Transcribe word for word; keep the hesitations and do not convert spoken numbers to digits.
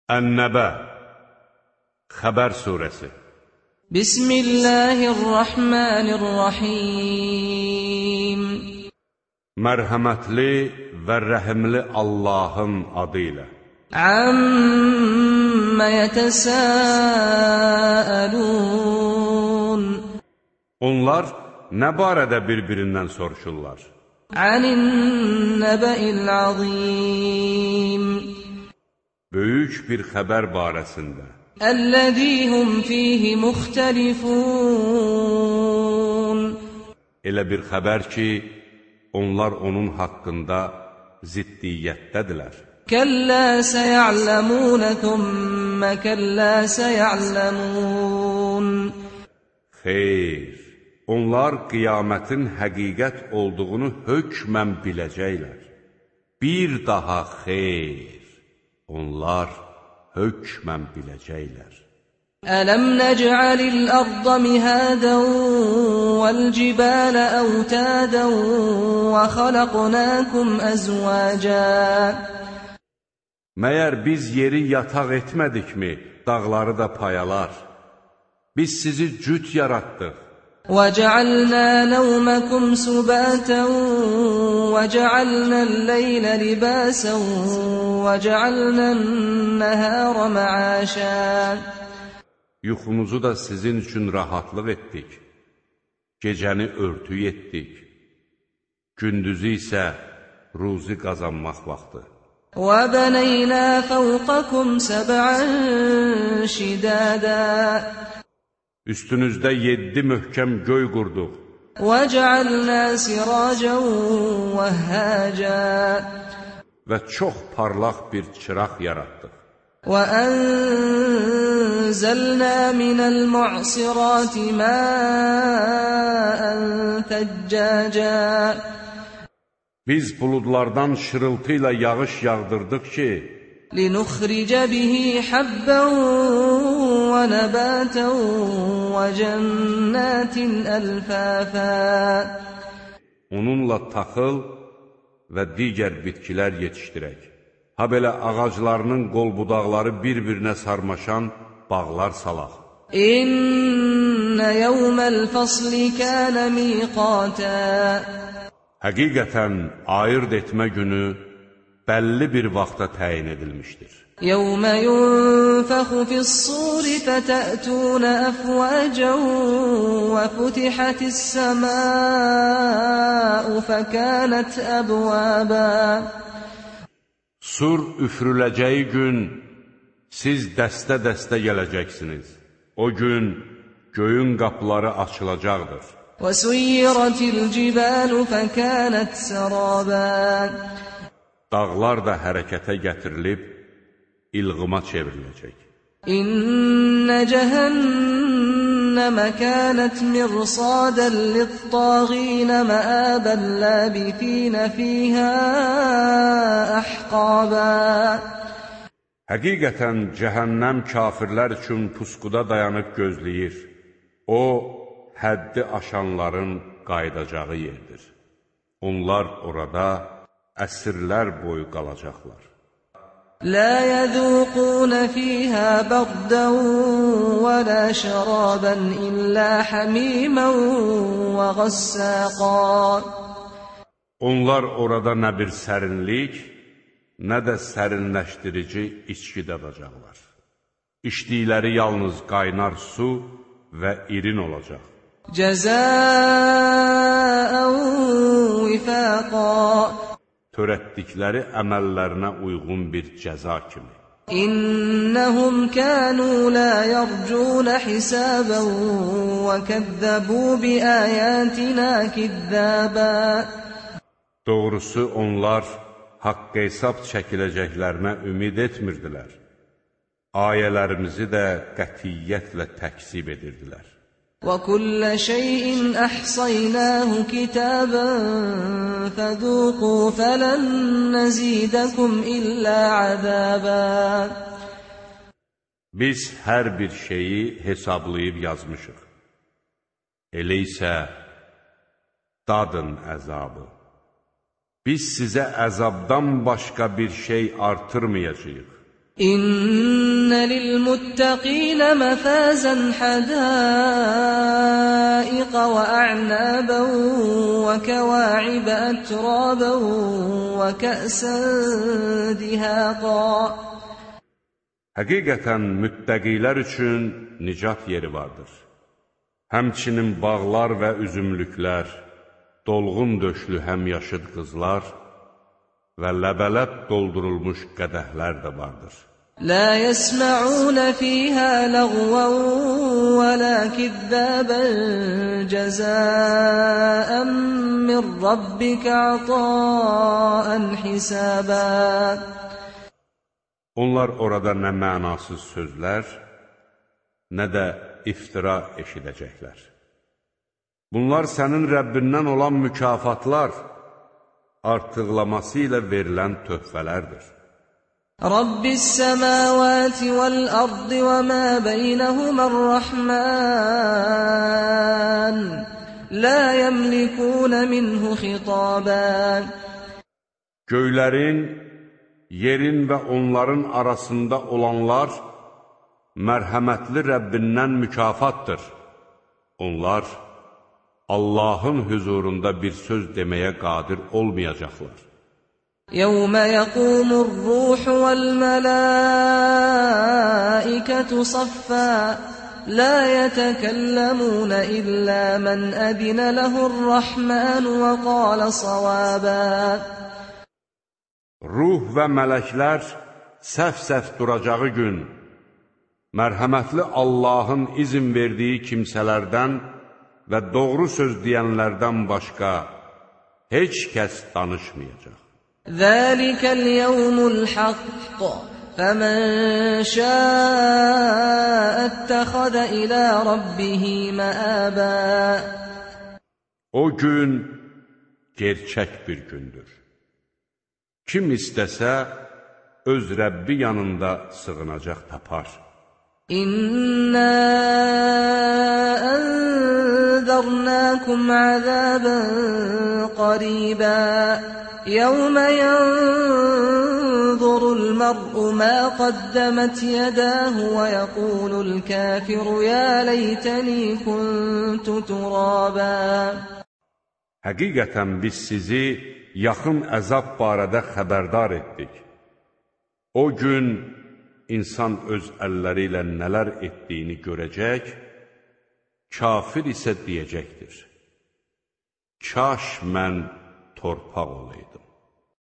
Ən-Nəbə Xəbər surəsi. Bismillahirrahmanirrahim. Mərhəmətli və rəhimli Allahın adı ilə. Amma yetəsəəlun. Onlar nə barədə bir-birindən soruşurlar? Anin-nəbə'il azim. Böyük bir xəbər barəsində. Əl-ləzî hum fîhî muxtəlifûn. Elə bir xəbər ki, onlar onun haqqında ziddiyyətdədirlər. Kəllə səyə'ləmûnə thümmə kəllə səyə'ləmûn. Xeyr, onlar qiyamətin həqiqət olduğunu hökmən biləcəklər. Bir daha xeyr, onlar hökmən biləcəklər. Ələm nəc'alil arda mihadən vəl-cibalə əvtədən və xalaqnəkum əzvəcən. Məyər biz yeri yataq etmədikmi, dağları da payalar? Biz sizi cüt yaratdıq. وَجَعَلْنَا نَوْمَكُمْ سُبَاتًا وَجَعَلْنَا اللَّيْلَ لِبَاسًا وَجَعَلْنَا النَّهَارَ مَعَاشًا. Yuxunuzu da sizin üçün rahatlıq etdik. Gecəni örtü etdik. Gündüzü isə ruzi qazanmaq vaxtı. وَبَنَيْنَا فَوْقَكُمْ سَبْعًا شِدَادًا. Üstünüzdə yeddi möhkəm göy qurduq. وَجَعَلْنَا سِرَاجًا وَهَّاجًا. Və çox parlaq bir çıraq yaratdıq. وَأَنزَلْنَا مِنَ الْمُعْصِرَاتِ مَاءً ثَجَّاجًا. Biz buludlardan şırıltı ilə yağış yağdırdıq ki, لِنُخْرِجَ بِهِ حَبًّا وَنَبَاتًا وَجَنَّاتٍ أَلْفَافًا. Onunla taxıl və digər bitkilər yetişdirək. Ha belə ağaclarının qol budaqları bir-birinə sarmaşan bağlar salaq. İnnə yevməl fasli kənə miqatə. Həqiqətən ayırt etmə günü bəlli bir vaxta təyin edilmişdir. Yevmə yunfəxu fis-suri fətə'tunə əfvəcən və futihətis-səmâ'u fəkənət əbvəbə. Sur üfrüləcəyi gün siz dəstə-dəstə gələcəksiniz. O gün göyün qapıları açılacaqdır. وَسُيِّرَتِ الْجِبَالُ فَكَانَتْ سَرَابًا. Dağlar da hərəkətə gətirilib, ilğıma çevriləcək. İnnə cəhənnəmə kənət mirsadən lit-tağinə məəbən ləbithinə fiyhə əhqabə. Həqiqətən cəhənnəm kafirlər üçün pusquda dayanıb gözləyir. O, həddi aşanların qayıdacağı yerdir. Onlar orada əsrlər boyu qalacaqlar. Lə yəzuqunə fiyhə bəqdən və lə şərabən illə həmimən və qəssəqan. Onlar orada nə bir sərinlik, nə də sərinləşdirici içki dadacaqlar. İçdikləri yalnız qaynar su və irin olacaq. Cəzəən vifəqa. Törətdikləri əməllərinə uyğun bir cəza kimi. İnnəhum kənu lə yərcunə hisəbən və kəzzəbu biəyətinə kizzəbə. Doğrusu onlar haqq hesab çəkiləcəklərinə ümid etmirdilər. Ayələrimizi də qətiyyətlə təkzib edirdilər. وَكُلَّ شَيْءٍ أَحْصَيْنَاهُ كِتَابًا فَذُوقُوا فَلَن نَّزِيدَكُمْ إِلَّا عَذَابًا. Biz hər bir şeyi hesablayıb yazmışıq. Elə isə dadın əzabı. Biz sizə əzabdan başqa bir şey artırmayacağıq. İnna للمتقين مفازا حدائق وأعنابا وكواعب أترابا وكأسا دهاقا. Həqiqətən müttəqilər üçün nicat yeri vardır. Həmçinin bağlar və üzümlüklər, dolğun döşlü həmyaşıd qızlar və ləbələb doldurulmuş qədəhlər də vardır. لا يسمعون فيها لغوا ولا كذابا جزاء من ربك عطاء حسابا. Onlar orada nə mənasız sözlər, nə də iftira eşidəcəklər. Bunlar sənin Rəbbindən olan mükafatlar, artıqlaması ilə verilən töhfələrdir. Rabbis semavati vel ardı ve ma beynehumar-rahman la yemlikun minhu xitaban. Göylərin, yerin və onların arasında olanlar mərhəmətli Rəbbindən mükafatdır. Onlar Allahın huzurunda bir söz deməyə qadir olmayacaqlar. يَوْمَ يَقُومُ الرُّوحُ وَالْمَلَائِكَةُ صَفًّا لَا يَتَكَلَّمُونَ إِلَّا مَنْ أَذِنَ لَهُ الرَّحْمَنُ وَقَالَ صَوَابًا. Ruh və mələklər səf-səf duracağı gün, mərhəmətli Allahın izin verdiyi kimsələrdən və doğru söz deyənlərdən başqa heç kəs danışmayacaq. ذَلِكَ الْيَوْمُ الْحَقُّ فَمَنْ شَاءَ اتَّخَذَ إِلَى رَبِّهِ مَآبًا. O gün gerçək bir gündür. Kim istəsə, öz Rəbbi yanında sığınacaq tapar. İnna enzarnakum azaban qariba yawma yanzurul mar'u ma qaddamat yadahu ve yaqulul kafiru ya leytani kuntu turaba. Həqiqətən biz sizi yaxın əzab barədə xəbərdar etdik. O gün insan öz əlləri ilə nələr etdiyini görəcək, kafir isə deyəcəkdir: Kaş mən torpaq olaydım.